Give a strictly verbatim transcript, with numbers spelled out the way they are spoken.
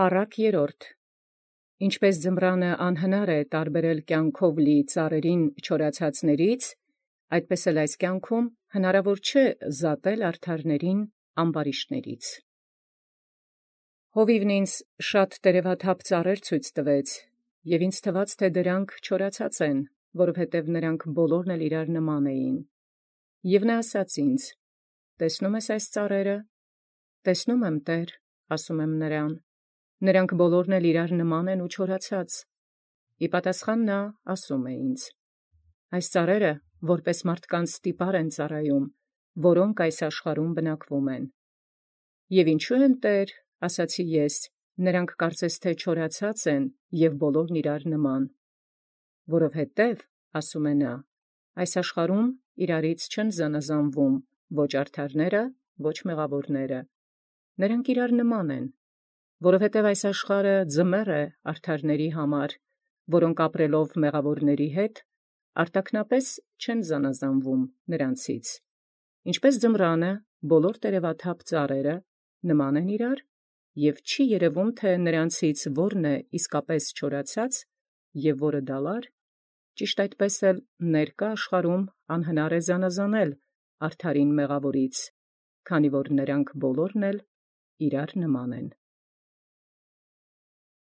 Առակ երրորդ. Ինչպէս ձմռանը անհնար է տարբերել կենքով լի ծառերին չորացածացն, այդպէս էլ այս կենքում հնարաւոր չէ զատել արդարացն ամբարիշտաց։ Հովիւն ինձ բազում տերևաթափ ծառեր ցույց տուեալ, և ինձ թուաց թէ դրանք չորացած են, որովհետև նոցին ամենայն էլ իւրով նման էին։ Եւ նորա ասաց ինձ. «Տեսնո՞ւմ ես այս ծառերը»։ «Տեսնոյ եմ, Տէր», ասեմ նոցա. «Նոցին ամենայն էլ իւրով նման են և չորացած»։ Ի պատասխան նորա ասէր ինձ. «Այս ծառերը որպէս ստիպար են ծառայում մարդկան, որք ի աշխարհին բնակվում են»։ «Եւ ո՞ւշո են, Տէր, ասացի ես, նոցին կարծես թէ չորացած են և ամենայն իւրով նման։ Որովհետև ասէ նորա, այս աշխարհին իւրովք չեն զանազանվում ո՛չ արդարքն, ո՛չ մեղաւորքն. նոցին իւրով նման են, որովհետև այս աշխարհը ձմեռ է արդարոցն, որք ապրելով մեղաւորաւքն արտաքնապէս չեն զանազանվում նոցին. ինչպէս ձմռանը ամենայն տերևաթափ ծառերը նման են իւրով, և չի երևում թէ որն է իսկապէս չորացած և որը դալար, ճիշտ այնպէս էլ ներկայ աշխարհին անհնար է զանազանել արդարին մեղաւորից, քանզի նոցին ամենայն էլ իւրով նման են։